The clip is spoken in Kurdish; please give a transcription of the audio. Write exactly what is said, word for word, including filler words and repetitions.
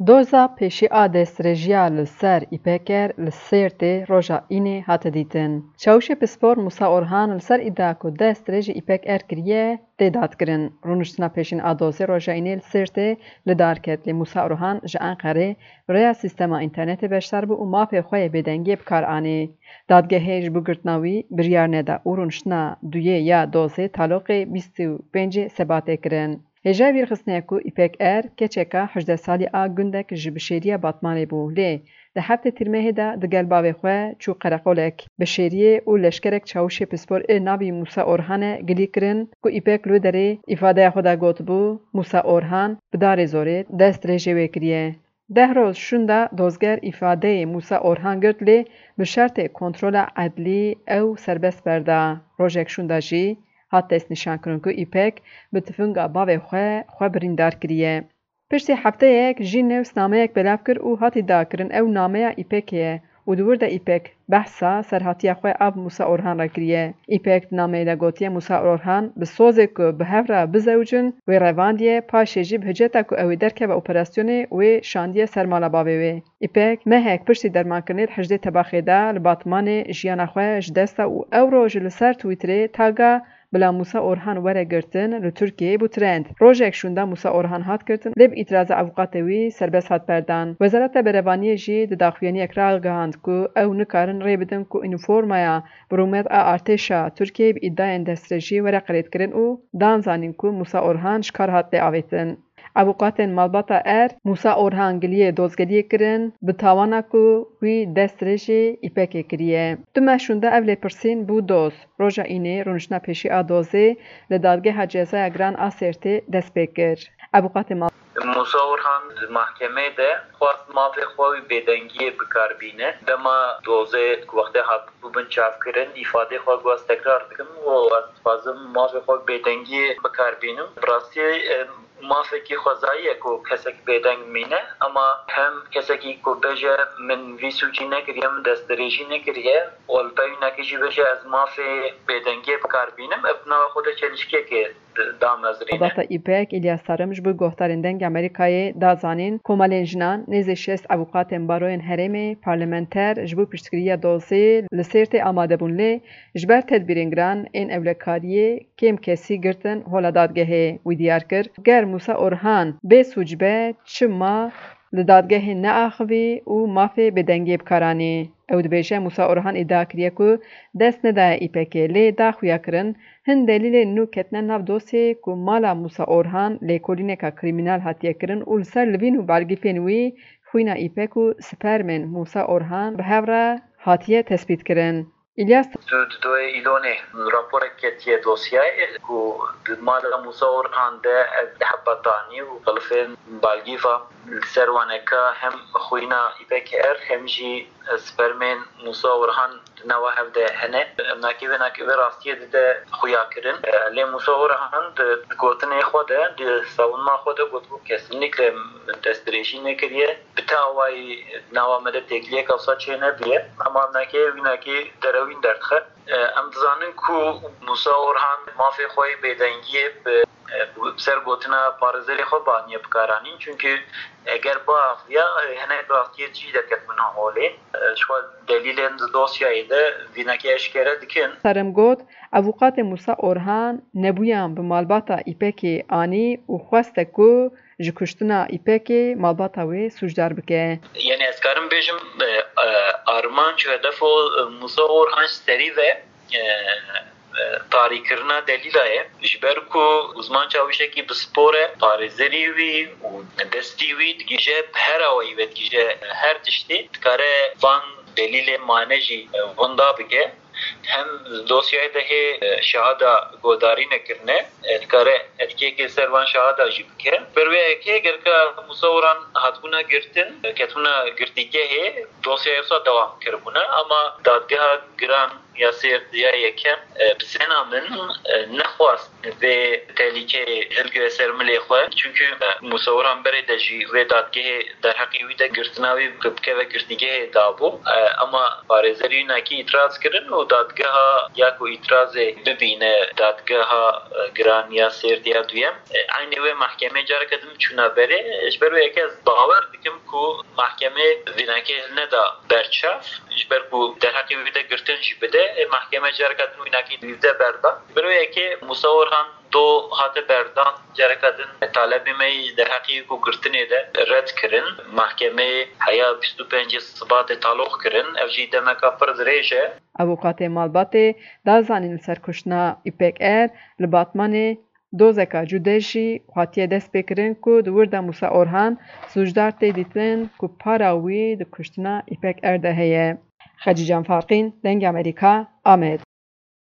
Doza pêşî a destdirêjiya li ser Îpeker li Sêrtê roja Înê hate dîtin. Çawişê pispor Musa Orhan li ser îdia ku destdirêjî Îpek Er kiriye, tê dadkirin. Rûniştina pêşîn a dozê roja Înê li Sêrtê li dar ket, lê Musa Orhan ji Enqerê bi rêya sîstema înternetê beşdar bû û mafê xwe yê bêdengiyê bi kar anî. Dadgehê ji bo girtina wî biryar neda û rûniştina duyê ya dozê taloqê bîst û pêncê Sebatê kirin. Hêjayî vî rêxistinê ye ku Îpek Er, keçeka hejdeh salî a gundek ji Bişêriya Batmanê bû, lê di heftê Tîrmehê de digel bavê xwe çû qereqolek Bişêriyê û leşkerek çawişê pispor ê navî Musa Orhan e gilî kirin ku Îpek li wê derê îfadeya xwe de gotibû, Musa Orhan bi darê zorê destdirêjê wê kiriye. Deh roj şûnda dozger îfadeyê Musa Orhan girt, lê bi şertê kontrola edlî ew serbest berda. Rojek şûnda jî hat destnîşankirin ku Îpek bi tifinga bavê xwe xwe birîndar kiriye. Piştî hefteyek jî nivîsnameyek belav kir û hat îdiakirin ew nameya Îpekê ye û di wir de Îpek behsa serhatiya xwe a bi Musa Orhan re kiriye. Îpek di nameyê de gotiye, Musa Orhan bi sozê ku bi hev re bizewicin wê revandiye, paşê jî bi hiceta ku ew ê derkeve operasyonê wê şandiye ser mala bavê wê. Îpek mehek piştî dermankirinê di hejdê Tebaxê de li Batmanê jiyana xwe ji dest da û ew roj li ser Twitterê taga bila Musa Orhan were girtin li Tirkiyeyê bû trend. Rojek şûnda Musa Orhan hat girtin, lê bi îtiraza avûkatê wî serbest hat berdan. Wezareta Berevaniyê jî di daxuyaniyek ragihand ku ew nikarin rê bidin ku unîformaya bi rûmet a artêşa Tirkiyeyê bi îdiayên destdirêjî were qirêdkirin û dan zanîn ku Musa Orhan ji kar hat lê avêtin. Avûkatên malbata Er, Musa Orhan giliyê dozgeriyê kirin, bi tawana ku wî destdirêjê Îpekê kiriye. Du meh şûnda ev lêpirsîn bû doz. Roja Înê rûniştina pêşî a dozê li Dadgeha Cezaya Giran a Sêrtê dest pê kir. Avûkatê mal. Musa Orhan di mahkemeyê de xwest mafê xwe wî bêdengiyê bi kar bîne. Dema dozê ku wextê hatibû bin çavkirin, îfadê xwe got, ez tekrar dikim û ez dixwazim mafê xwe bêdengiyê bi kar bînim. Bi rastî, e, mafekî xwezayî ye ku kesek bêdeng mîne, ema hem kesekî ku bêje, min vî sûcî nekiriye, min destdirêjî nekiriye, û li pey wînekê jî bêje, ez mafê bêdengiyê bi kar bînim, ev bi nava xwe de çelişkiyekê damezrîne. Malbata Îpek, Îlyas Tarım ji bo guhdarên Dengê Amerîkayê da zanîn, komelên jinan, nêzî şêst avûkatên baroyên herêmê, parlamenter ji bo piştgiriya dozê li Sêrtê amade bûn, lê ji ber tedbîrên giran ên ewlekariyê kêm kesî girtin hola dadgehê. Wî diyar kir, ger Musa Orhan bê sûc be, çima li dadgehê neaxivî û mafê bêdengiyê bi kar anî? Ew dibêje, Musa Orhan îdia kiriye ku dest nedaye Îpekê, lê da xuyakirin, hin delîlên nû ketine nav dosyeyê ku mala Musa Orhan lêkolîneka krîmînal hatiye kirin û li ser livîn û balgîfên wî xwîna Îpek û spermên Musa Orhan bi hev re hatiye tespîtkirin. Îlyas. Tu di doyê Îlonê raporek ketiye dosyayê ku di mala Musa Orhan de ev heba tanî û xilifên balgîfa li ser waneka hem xwîna Îpek Er hem jî spermên Musa Orhan di nava hev de hene. Em nakê vê nakê vê rastiyê dide xuya kirin. Lê Musa Orhan di, di gotinê xwe de, di savunma xwe de gotibû, kesinlikle min destdirêjî nekiriye. Bi te awayî nava me de têkiliyek wisa çênebiye. Ema em nakê wînakî derewîn derdixe. Em dizanin ku Musa Orhan mafê xwe yê bêdengiyê bi, bi ser gotina parêzerê xwe baniye bikaranîn. Çunkî eger biaxiviya, hinek rastiyê jî derketibûna holê. Ji xwe delîlên di dosyayê de vînekê eşkere dikin. Tarım got, avûkatê Musa Orhan nebûyan bi malbata Îpekê anî û xweste ku ji kuştina Îpekê malbata wê sûcdar bike. Yanî ez karim bêjim, e, e, armanc û hedefo, e, Musa Orhan ji serî ve, e, e, tarîkirina delîla ye. Ji ber ku Uzman Çawişekî bi spor e, parêzerî wî û destî wî digije, bi her awayî ve digije her tiştî, dikare van delîlê mane jî, e, winda bike. Hem dosyayê de hê, e, şahada guhdarî nekirine, e, dikare etkiyekê ser van şahada jî bike. Ber wê yekê gereka Musa Orhan hatibûna girtin, e, ketibûna girtîgehê, dosyayê wisa dewam kiribûne, ama dadgeha giran Yasêr ya yekem, e, bi zêna min, e, nexwast vê tehlîkeyê hilgire ser milê xwe. Çunku, e, Musa Orhan berê de jî wê dadgehê derheqê wî de girtina wî bikeve girtîgehê dabû. E, ema parêzerî wî nakî îtiraz kirin û dadgeha ya ku îtirazê bibîne dadgeha, e, giran ya sêrdiya duyem. E, eynî wê mahkemê careke din çûna berê. Ji ber wê yekê ez bawer dikim ku mahkemê vînakê hilneda berçav. Ji ber ku derheqê wî de girtin jî bide, e, mahkeme careke din wînakî wî de berda. Ji ber wê yekê Musa Orhan do hate berdan, careke din talebê me yî derheqê ku girtinê de red kirin. Mahkemeyê heya bîst û pêncê Sibatê taloq kirin. Ev jî demeka pir dirêj e. Avûkatê malbatê da zanîn li ser kuştina Îpek Er li Batmanê dozeka cude jî hatiye destpêkirin ku di wir de Musa Orhan sûcdar tê dîtin ku para wî di kuştina Îpek Er de heye. Xecîcan Farqîn, Dengê Amerîka, Amed.